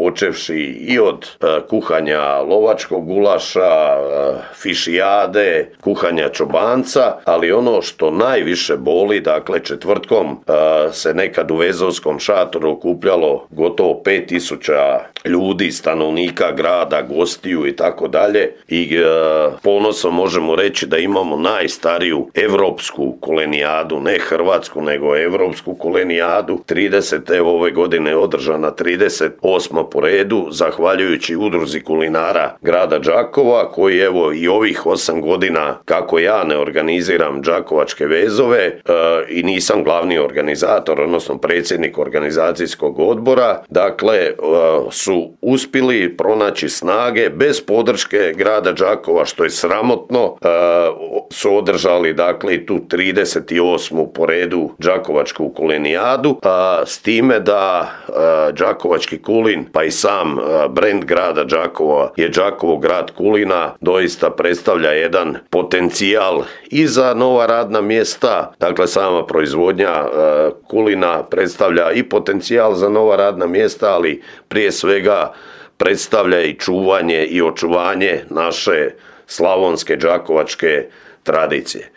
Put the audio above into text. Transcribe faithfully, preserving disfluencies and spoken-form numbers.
počevši i od kuhanja lovačkog gulaša, fišijade, kuhanja čobanca, ali ono što najviše boli, dakle četvrtkom se nekad u Vezovskom šatoru okupljalo gotovo pet tisuća ljudi, stanovnika grada, gostiju i tako dalje i ponosom možemo reći da imamo najstariju evropsku kulenijadu, ne hrvatsku nego evropsku kulenijadu. trideset evo ove godine je održana trideset osma po redu, zahvaljujući udruzi kulinara grada Đakova, koji evo i ovih osam godina kako ja ne organiziram Đakovačke vezove e, i nisam glavni organizator, odnosno predsjednik organizacijskog odbora, dakle e, su uspjeli pronaći snage bez podrške grada Đakova, što je sramotno, e, su održali dakle tu trideset osmu po redu Đakovačku kulenijadu, a, s time da a, Đakovački kulin pa i sam a, brend grada Đakova je Đakovo grad kulina, doista predstavlja jedan potencijal i za nova radna mjesta, dakle sama proizvodnja a, kulina predstavlja i potencijal za nova radna mjesta, ali prije svega predstavlja i čuvanje i očuvanje naše slavonske đakovačke tradicije.